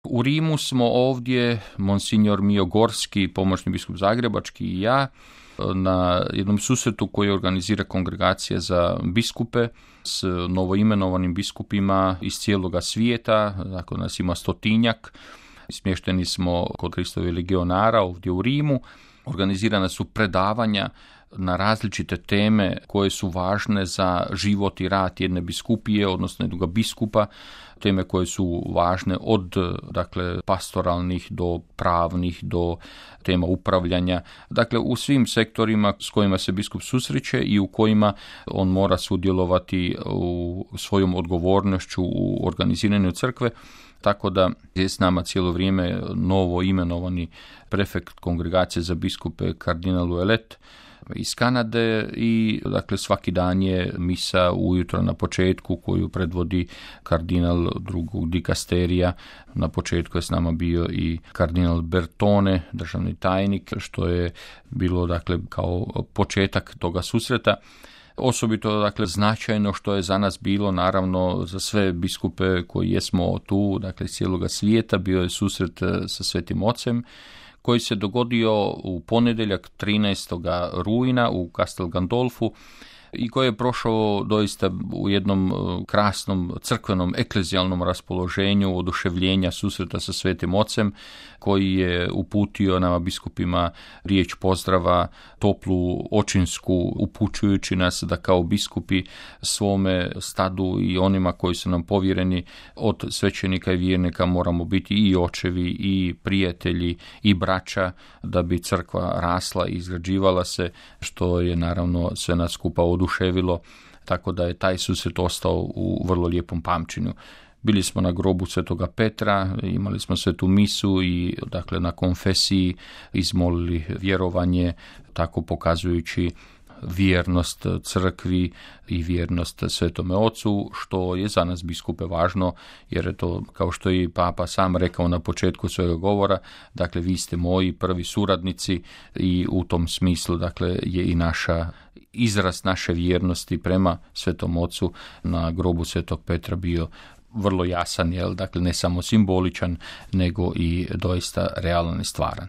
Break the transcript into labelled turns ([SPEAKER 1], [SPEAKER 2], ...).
[SPEAKER 1] U Rimu smo ovdje, monsignor Mio Gorski, pomoćni biskup zagrebački i ja, na jednom susretu koji organizira kongregacija za biskupe s novoimenovanim biskupima iz cijeloga svijeta, dakle nas ima 100-tinjak, smješteni smo kod Kristovih legionara ovdje u Rimu, organizirana su predavanja na različite teme koje su važne za život i rad jedne biskupije, odnosno jednog biskupa, teme koje su važne od pastoralnih do pravnih, do tema upravljanja, dakle u svim sektorima s kojima se biskup susreće i u kojima on mora sudjelovati u svojom odgovornošću u organiziranju crkve. Tako da je s nama cijelo vrijeme novo imenovani prefekt kongregacije za biskupe kardinal Ouellet iz Kanade i svaki dan je misa ujutro na početku koju predvodi kardinal drugog dikasterija. Na početku je s nama bio i kardinal Bertone, državni tajnik, što je bilo kao početak toga susreta. Osobito značajno što je za nas bilo, naravno za sve biskupe koji jesmo tu, iz cijeloga svijeta, bio je susret sa Svetim Ocem koji se dogodio u ponedjeljak 13. rujna u Castel Gandolfu i koji je prošao doista u jednom krasnom crkvenom eklezijalnom raspoloženju oduševljenja susreta sa Svetim Ocem, koji je uputio nama biskupima riječ pozdrava, toplu očinsku, upućujući nas da kao biskupi svome stadu i onima koji su nam povjereni od svećenika i vjernika moramo biti i očevi i prijatelji i braća, da bi crkva rasla i izgrađivala se, što je naravno sve nas skupa oduševilo, tako da je taj susret ostao u vrlo lijepom pamćenju. Bili smo na grobu Svetoga Petra, imali smo svetu misu i na konfesiji izmolili vjerovanje, tako pokazujući vjernost crkvi i vjernost Svetome Ocu, što je za nas biskupe važno, jer je to, kao što je i Papa sam rekao na početku svojega govora, vi ste moji prvi suradnici i u tom smislu je i izraz naše vjernosti prema Svetom Ocu na grobu Svetog Petra bio vrlo jasan, ne samo simboličan, nego i doista realan i stvaran.